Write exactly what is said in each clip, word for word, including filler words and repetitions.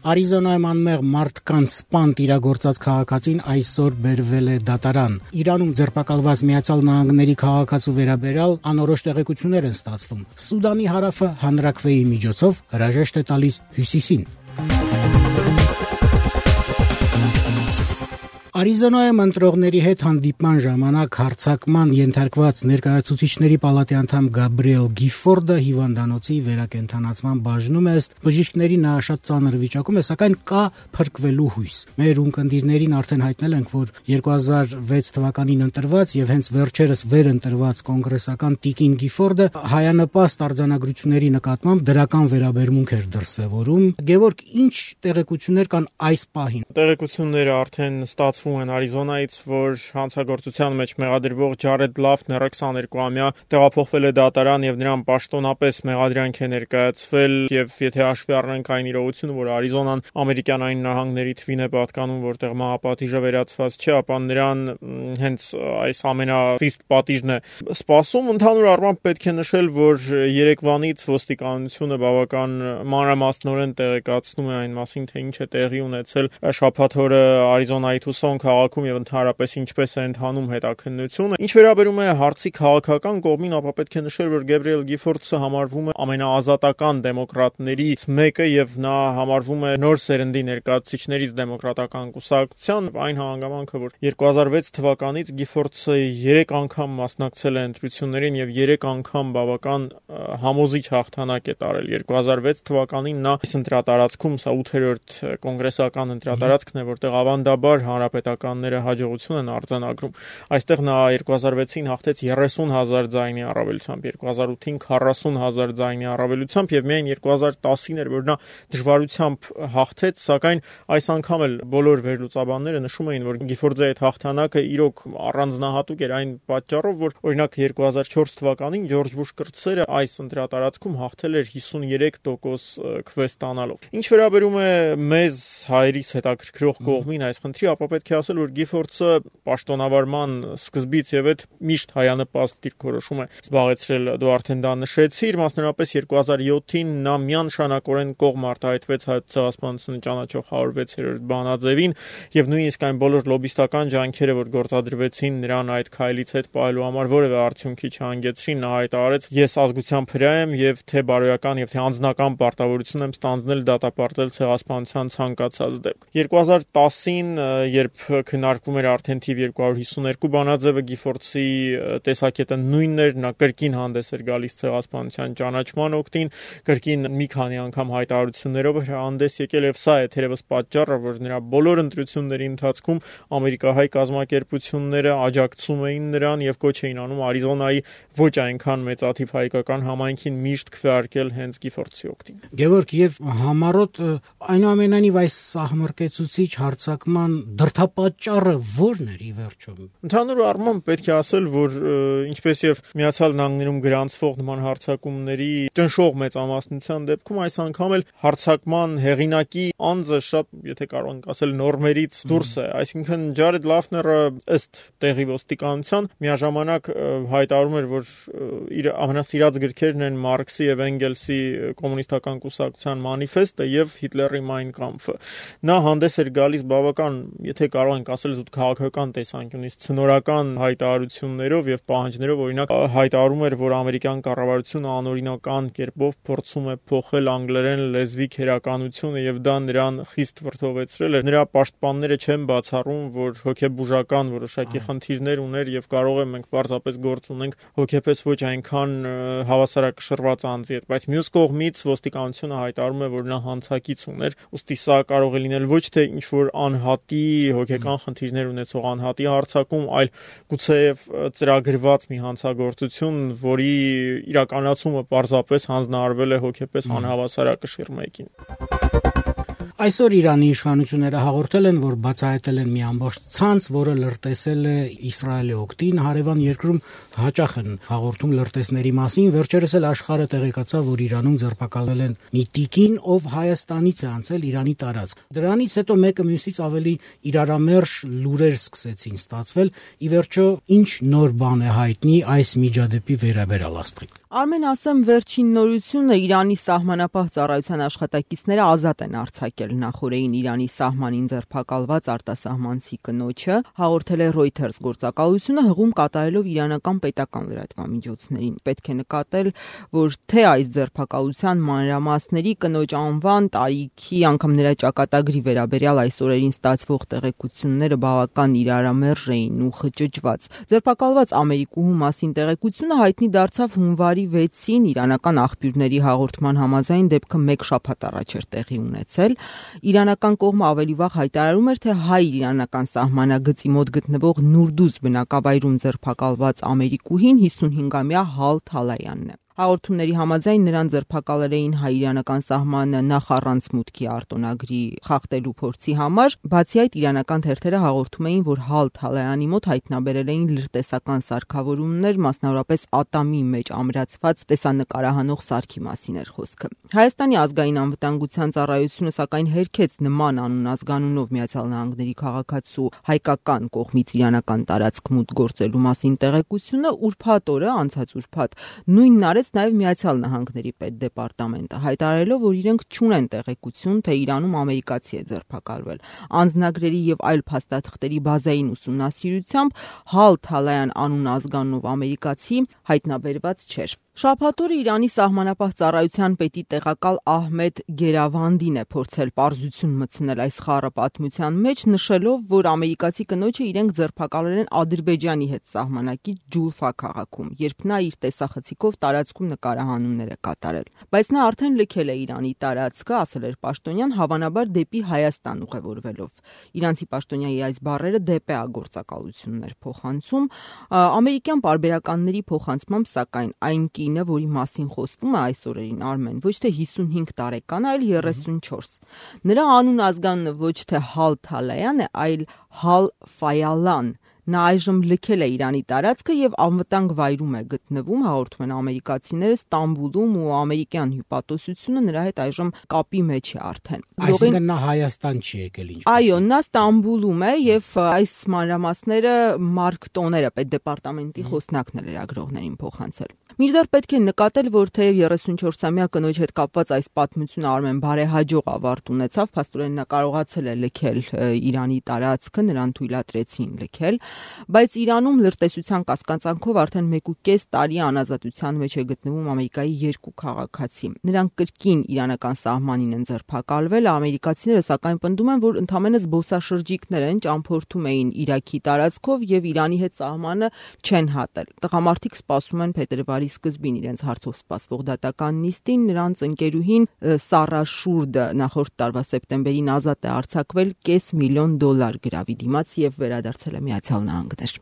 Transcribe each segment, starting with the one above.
Արիզոնայում անմեղ մարդկանց սպանդ իրագործած քաղաքացին այսօր բերվել է դատարան։ Իրանում ձերբակալված Միացյալ Նահանգների քաղաքացու վերաբերյալ անորոշ տեղեկություններ են ստացվում։ Սուդանի հարավը հանրաքվեի միջոցով հրաժեշտ է տալիս Հյուսիսին։ Արիզոնայում ընտրողների հետ հանդիպման ժամանակ հարձակման ենթարկված ներկայացուցիչների պալատի անդամ Գաբրիել Գիֆորդը հիվանդանոցի վերակենդանացման բաժնում է, ըստ բժիշկների նա շատ ծանր վիճակում է, սակայն կա փրկվելու հույս։ Մեր ունկնդիրներին արդեն հայտնել ենք, որ երկու հազար վեց թվականին ընտրված եւ հենց վերջերս վերընտրված կոնգրեսական Տիկին Գիֆորդը հայանպաստ արձանագրությունների նկատմամբ դրական վերաբերմունք էր դրսևորում։ Գևորգ, ինչ տեղեկություններ կան այս պահին։ Տեղեկությունները արդեն ստացվում են Արիզոնայից, որ հանցագործության մեջ մեղադրվող Ջարեդ Լաֆները քսաներկուամյա տեղափոխվել է դատարան եւ նրան պաշտոնապես մեղադրանք է ներկայացվել, եւ եթե հաշվի առնենք այն իրողությունը, որ Արիզոնան ամերիկյան նահանգների թվին է պատկանում, որտեղ մահապատիժը վերացված չէ, ապա նրան հենց այս ամենախիստ պատիժն է սպասում։ Ընդհանուր առմամբ պետք է նշել, որ երեկվանից ոստիկանությունը բավական մանրամասնորեն տեղեկացնում է այն մասին, թե ինչ է տեղի ունեցել շաբաթ օրը Արիզոնայի Թուսոն քաղաքում եւ ընդհանրապես ինչպես է ընթանում հետաքննությունը։ Ինչ վերաբերում է հարցի քաղաքական կողմին, ապա պետք է նշել, որ Գաբրիել Գիֆորդը համարվում է ամենաազատական դեմոկրատներից մեկը եւ նա համարվում է նոր սերնդի ներկայացուցիչներից դեմոկրատական կուսակցության, այն հանգամանքը, որ երկու հազար վեց թվականից Գիֆորդը երեք անգամ մասնակցել է ընտրություններին եւ երեք անգամ բավական համոզիչ հաղթանակ է տարել։ երկու հազար վեց թվականին նա այս ընտրատարածքում սա ութերորդ կոնգրեսական ընտրատարածքն է, որտեղ ավանդաբար հանրապետականները հաջողություն են արձանագրում։ Այստեղ նա երկու հազար վեցին հաղթեց երեսուն հազար ձայնի առավելությամբ, երկու հազար ութին քառասուն հազար ձայնի առավելությամբ եւ միայն երկու հազար տասին էր, որ նա դժվարությամբ հաղթեց, սակայն այս անգամ էլ բոլոր վերլուծաբանները նշում էին, որ Գիֆորդի այդ հաղթանակը իրոք առանձնահատուկ էր այն պատճառով, որ օրինակ երկու հազար չորս թվականին Ջորջ Բուշ կրտսերը այս ընտրատարածքում հաղթել էր հիսունյերեք տոկոս քվե ստանալով։ Ինչ վերաբերում է մեզ հայերիս հետաքրքրող կողմին այս խնդրի, ապա պետք է ասել, որ Գիֆորդը պաշտոնավարման սկզբից եւ այդ միշտ հայանպաստ դիրքորոշում է զբաղեցրել, դու արդեն դա նշեցիր, մասնավորապես երկու հազար յոթին նա միանշանակորեն կողմ արտահայտվեց Հայոց ցեղասպանությունը ճանաչող հարյուր վեցերորդ բանաձևին եւ նույնիսկ այն բոլոր լոբիստական ջանքերը, որ գործադրվեցին նրան այդ քայլից հետ պահելու համար, որևէ արդյունքի չհանգեցրին, նա հայտարարեց, ես ազգությամբ հրա եմ եւ թե բարոյական եւ թե անձնական պարտավորություն եմ ստանձնել դատապարտել ցեղասպանության ցանկացած դեպք։ երկու հազար տասին, երբ քննարկվում էր արդեն թիվ երկու հարյուր հիսուներկու բանաձևը, Գիֆորդի տեսակետը նույնն էր, նա կրկին հանդես էր գալիս ցեղասպանության ճանաչման օգտին, կրկին մի քանի անգամ հայտարարություններով էր հանդես եկել եւ սա է թերևս պատճառը, որ նրա բոլոր ընտրությունների ընթացքում ամերիկահայ կազմակերպությունները աջակցում էին նրան եւ կոչ էին անում Արիզոնայի ոչ այնքան մեծաթիվ հայկական համայնքին միշտ քվեարկել հենց Գիֆորդի օգտին։ Գևորգ, եւ համառոտ այնուամենայնիվ այս սահմռկեցուցիչ հարձակման դրդապատճառը ո՞րն էր ի վերջո։ Ընդհանուր առմամբ պետք է ասել, որ ինչպես եւ Միացյալ Նահանգներում գրանցվող նման հարձակումների ճնշող մեծամասնության դեպքում այս անգամ էլ հարձակման հեղինակի անձը շատ, եթե կարող ենք ասել, նորմերից դուրս է, այսինքն Ջարեդ Լաֆները ըստ տեղի ոստիկանության միաժամանակ հայտարարում էր, որ իր ամենասիրած գրքերն են Մարքսի եւ Էնգելսի կոմունիստական կուսակցության մանիֆեստը եւ Հիտլերի Մայն Կամփը։ Նա հանդես էր գալիս բավական, եթե կարող ենք ասել, զուտ քաղաքական տեսանկյունից ցնորական հայտարարություններով եւ պահանջներով, օրինակ հայտարարում էր, որ ամերիկյան կառավարությունը անօրինական կերպով փորձում է փոխել անգլերեն լեզվի քերականությունը եւ դա նրան խիստ վրդովեցրել էր։ Նրա պաշտպանները չեն բացառում, որ հոգեբուժական որոշակի խնդիրներ ուներ եւ կարող է մենք պարզապես գործ ունենք հոգեպես ոչ այնքան հավասարակշռված անձի հետ, բայց մյուս կողմից ոստիկանությունը հայտարարում է, որ նա հանցակից ուներ, ուստի սա կարող է լինել ոչ թե ինչ որ անհատի հոգեկան խնդիրներ ունեցող անհատի հարձակում, այլ գուցեև ծրագրված մի հանցագործություն, որի իրականացումը պարզապես հանձնարարվել է հոգեպես անհավասարակշիռ մեկին։ Այսօր Իրանի իշխանությունները հաղորդել են, որ բացահայտել են մի ամբողջ ցանց, որը լրտեսել է Իսրայելի օգտին, հարևան երկրում հաճախ են հաղորդում լրտեսների մասին, վերջերս էլ աշխարհը տեղեկացավ, որ Իրանում ձերբակալվել են մի տիկին, ով Հայաստանից է անցել Իրանի տարածք։ Դրանից հետո մեկը մյուսից ավելի իրարամերժ լուրեր սկսեցին ստացվել, ի վերջո ինչ նոր բան է հայտնի այս միջադեպի վերաբերյալ, Աստղիկ։ Արմեն, ասեմ, վերջին նորությունը Իրանի սահմանապահ ծառայության աշխատակիցները ազատ են արձակել նախօրեին Իրանի սահմանին ձերբակալված արտասահմանցի կնոջը, հաղորդել է Reuters գործակալությունը, հղում կատարելով իրանական պետական լրատվամիջոցներին։ Պետք է նկատել, որ թե այս ձերբակալության մանրամասների, կնոջ անվան, տարիքի, անգամ նրա ճակատագրի վերաբերյալ այս օրերին ստացվող տեղեկությունները բավական իրարամերժ էին ու խճճված։ Ձերբակալված ամերիկուհու մասին տեղեկությունը հայտնի դարձավ հունվարի վեցին իրանական աղբյուրների հաղորդման համաձայն դեպքը մեկ շաբաթ առաջ էր տեղի ունեցել։ Իրանական կողմը ավելի վաղ հայտարարում էր, թե հայ-իրանական սահմանագծի մոտ գտնվող Նուրդուզ բնակավայրում ձերբակալված ամերիկուհին հիսունհինգամյա Հալ Թալայանն է։ Հաղորդումների համաձայն նրան ձերբակալել էին հայ-իրանական սահմանը նախ առանց մուտքի արտոնագրի խախտելու փորձի համար, բացի այդ իրանական թերթերը հաղորդում էին, որ Հալ Թալայանի մոտ հայտնաբերել էին լրտեսական սարքավորումներ, մասնավորապես ատամի մեջ ամրացված տեսանկարահանող սարքի մասին էր խոսքը։ Հայաստանի ազգային անվտանգության ծառայությունը սակայն հերքեց նման անուն-ազգանունով Միացյալ Նահանգների քաղաքացու հայկական կողմից իրանական տարածք մուտք գործելու մասին տեղեկությունը, ուրբաթ օրը, անցած ուրբաթ, նույնն արեց նաև Միացյալ Նահանգների պետդեպարտամենտը, հայտարարելով, որ իրենք չունեն տեղեկություն, թե Իրանում ամերիկացի է ձերբակալվել։ Անձնագրերի եւ այլ փաստաթղթերի բազային ուսումնասիրությամբ Հալ Թալայան անուն-ազգանունով ամերիկացի հայտնաբերված չէր։ Շաբաթ օրը Իրանի սահմանապահ ծառայության պետի տեղակալ Ահմեդ Գերավանդին է փորձել պարզություն մտցնել այս խառը պատմության մեջ, նշելով, որ ամերիկացի կնոջը իրենք ձերբակալել են Ադրբեջանի հետ սահմանակից Ջուլֆա քաղաքում, երբ նա իր տեսախցիկով տարածքում նկարահանումներ է կատարել։ Բայց նա արդեն լքել է Իրանի տարածքը, ասել էր պաշտոնյան, հավանաբար դեպի Հայաստան ուղևորվելով։ Իրանցի պաշտոնյայի այս բառերը դեպի գործակալություններ փոխանցում, ամերիկյան պարբերականների փոխանցմամբ, սակայն այն կինը, որի մասին խոսվում է այս օրերին, Արմեն, ոչ թե հիսունհինգ տարեկան, այլ երեսունչորս։ Նրա անուն-ազգանունը ոչ թե Հալ Թալայան է, այլ Հալ Ֆայալան։ Նա այժմ լքել է Իրանի տարածքը եւ անվտանգ վայրում է գտնվում, հաղորդում են ամերիկացիները Ստամբուլում, ու ամերիկյան հյուպատոսությունը նրա հետ այժմ կապի մեջ է արդեն։ Այսինքն նա Հայաստան չի եկել ինչպես։ Այո, նա Ստամբուլում է եւ այս մանրամասները Մարկ Տոները պետդեպարտամենտի խոսնակն է լրագրողներին փոխանցել։ Մինչդեռ պետք է նկատել, որ թեև երեսունչորսամյա կնոջ հետ կապված այս պատմությունը Արմեն բարեհաջող ավարտ ունեցավ, փաստորեն նա կարողացել է լքել Իրանի տարածքը, նրան թույլատրեցին լքել, բայց Իրանում լրտեսության կասկածանքով արդեն մեկ ու կես տարի անազատության մեջ է գտնվում Ամերիկայի երկու քաղաքացի։ Նրանք կրկին իրանական սահմանին են ձերբակալվել, ամերիկացիները սակայն պնդում են, որ ընդամենը զբոսաշրջիկներ են, ճամփորդում էին Իրաքի տարածքով եւ Իրանի հետ սահմանը չեն հատել։ Տղամարդիկ սպասում են փետրվարի սկզբին իրենց հարցով սպասվող դատական նիստին, նրանց ընկերուհին Սառա Շուրդը նախորդ տարվա սեպտեմբերին ազատ է արձակվել կես միլիոն դոլար գրավի դիմաց եւ վերադարձել է Միացյալ Նահանգներ։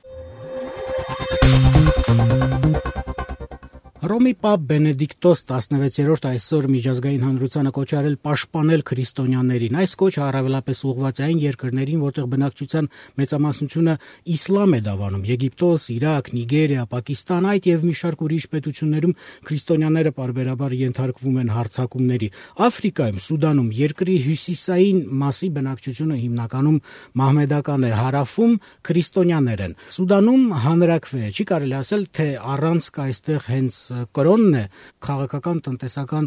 Հռոմի Պապ Բենեդիկտոս տասնվեցերորդ այսօր միջազգային հանրությանը կոչարել պաշտպանել քրիստոնյաներին։ Այս կոչը առավելապես ուղղված է այն երկրներին, որտեղ բնակչության մեծամասնությունը իսլամ է դավանում՝ Եգիպտոս, Իրաք, Նիգերիա, Պակիստան, այդ եւ մի շարք ուրիշ պետություններում քրիստոնյաները պարբերաբար ենթարկվում են հարձակումների։ Աֆրիկայում, Սուդանում, երկրի հյուսիսային մասի բնակչությունը հիմնականում մահմեդական է, հարավում քրիստոնյաներ են։ Սուդանում հանրաքվե է, չի կարելի ասել, թե առանց այստեղ հենց կրոնն է, քաղաքական, տնտեսական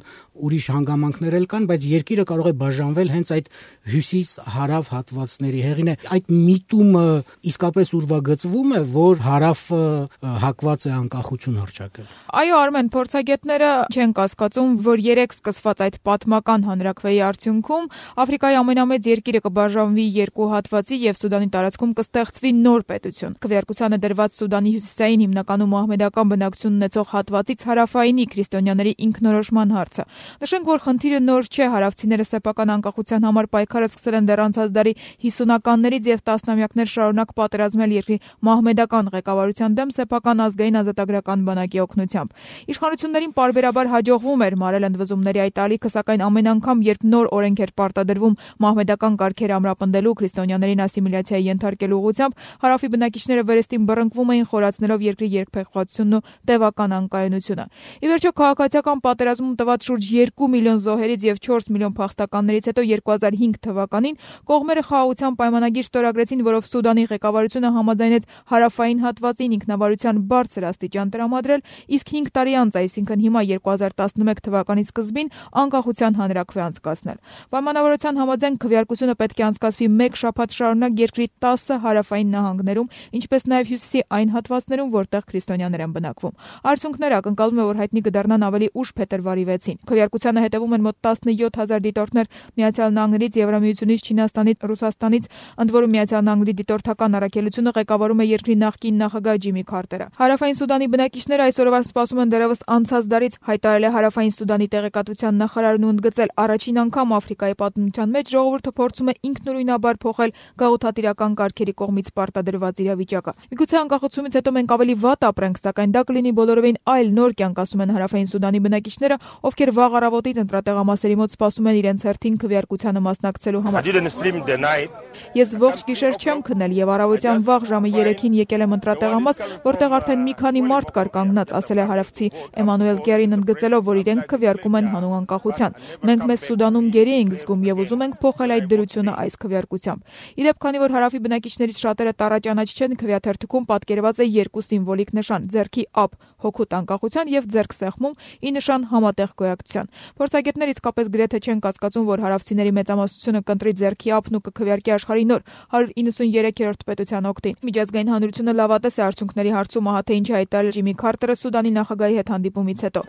ուրիշ հանգամանքներ էլ կան, բայց երկիրը կարող է բաժանվել հենց այդ հյուսիս-հարավ հատվածների հեղին է։ Այդ միտումը իսկապես ուրվագծվում է, որ հարավը հակված է անկախություն հռչակել։ Այո, Արմեն, փորձագետները չեն կասկածում, որ երեք սկսված այդ պատմական հանրաքվեի արդյունքում Աֆրիկայի ամենամեծ երկիրը կբաժանվի երկու հատվածի եւ Սուդանի տարածքում կստեղծվի նոր պետություն։ Քվեարկությանը դրված Սուդանի հյուսիսային հիմնականում մահմեդական բնակչություն ունեցող հատվածից հարավայինի քրիստոնյաների ինքնորոշման հարցը։ Նշենք, որ խնդիրը նոր չէ, հարավցիները սեփական անկախության համար պայքարը սկսել են դեռ անցած դարի հիսունականներից եւ տասնամյակներ շարունակ պատերազմել երկրի մահմեդական ղեկավարության դեմ սեփական ազգային ազատագրական բանակի օգնությամբ։ Իշխանություններին պարբերաբար հաջողվում էր մարել ընդվզումների այդ ալիքը, սակայն ամեն անգամ, երբ նոր օրենք էր պարտադրվում մահմեդական կարգեր ամրապնդելու, քրիստոնյաներին ասիմիլյացիայի ենթարկելու ուղղությամբ, հարավի բնակիչները վերստին բռնկվում էին, խորացնելով երկրի երկփեղվածությունն ու տևական անկայունությունը։ իշխանությունը։ Ի վերջո քաղաքացիական պատերազմում տված շուրջ երկու միլիոն զոհերից եւ չորս միլիոն փախստականներից հետո երկու հազար հինգ թվականին կողմերը խաղաղության պայմանագիր ստորագրեցին, որով Սուդանի ղեկավարությունը համաձայնեց հարավային հատվածին ինքնավարության բարձր աստիճան տրամադրել, իսկ հինգ տարի անց, այսինքն հիմա երկու հազար տասնմեկ թվականի սկզբին անկախության հանրաքվե անցկացնել։ Պայմանավորության համաձայն քվեարկությունը պետք է անցկացվի մեկ շաբաթ շարունակ երկրի տասը հարավային նահանգներում, ինչպես նաև հյուսիսի այն հատվածներում, որտեղ քրիստոնյաներ են բնակվում։ Արդյունքները ակնկալվում է, որ հայտնի կդառնան ավելի ուշ փետրվարի վեցին։ Քվեարկությանը հետևում են մոտ տասնյոթ հազար դիտորդներ Միացյալ Նահանգներից, Եվրամիությունից, Չինաստանից, Ռուսաստանից, ընդ որում Միացյալ Նահանգների դիտորդական առաքելությունը ղեկավարում է երկրի նախկին նախագահ Ջիմի Քարտերը։ Հարավային Սուդանի բնակիչները այսօրվա սպասում են դեռևս անցած դարից, հայտարարել է Հարավային Սուդանի տեղեկատվության նախարարն ու ընդգծել, առաջին անգամ Աֆրիկայի պատմության մեջ ժողովուրդը փորձում է ինքնուրույնաբար փոխել գաղութատիրական կարգերի կողմից պարտադրված իրավիճակը։ Միգուցե անկախացումից հետո մենք ավելի վատ ապրենք, սակայն դա կլինի բոլորովին այլ նոր կյանք, ասում են Հարավային Սուդանի բնակիչները, ովքեր վաղ առավոտից ընտրատեղամասերի մոտ սպասում են իրենց հերթին քվեարկությանը մասնակցելու համար։ Ես ողջ գիշեր չեմ քնել եւ առավոտյան վաղ ժամը երեքին եկել եմ ընտրատեղամաս, որտեղ արդեն մի քանի մարդ կար կանգնած, ասել է հարավցի Էմանուել Գերին, ընդգծելով, որ իրենք քվեարկում են հանուն անկախության։ Մենք մեզ Սուդանում գերի ենք զգում եւ ուզում ենք փոխել այդ դրությունը այս քվեարկությամբ։ Իդեպ, քանի որ հարավի բնակիչներից շատերը տառաճանաչ չեն, քվեաթերթիկում պատկերված է երկու սիմվոլիկ նշան՝ ձեռքի ափ հոգուտ անկախության եւ ձեռքսեղմում ի նշան համատեղ գոյակցության։ Փորձագետները իսկապես գրեթե չեն կասկածում, որ հարավցիների մեծամասնությունը կընտրի ձեռքի ափն ու կքվեարկի աշխարհի նոր հարյուր իննսունյերեքերորդ պետության օգտին։ Միջազգային հանրությունը լավատես է արդյունքների հարցում, ահա թե ինչ հայտարարել Ջիմի Քարտերը Սուդանի նախագահի հետ հանդիպումից հետո։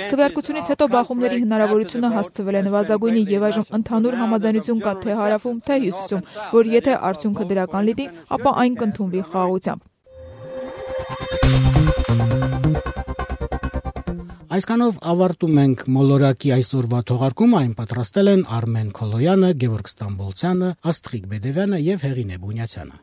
Քվեարկությունից հետո բախումների հնարավորությունը հասցվել է նվազագույնի եւ այժմ ընդհանուր համաձայնություն կա թե հարավում, թե հյուսիսում, որ եթե արդյունքը դրական լինի, ապա այն կընդունվի խաղաղությամբ։ Այսքանով ավարտում ենք մոլորակի այսօրվա թողարկումը, այն պատրաստել են Արմեն Քոլոյանը, Գևորգ Ստամբոլցյանը, Աստղիկ Բեդևյանը եւ Հեղինե Բունյացյանը։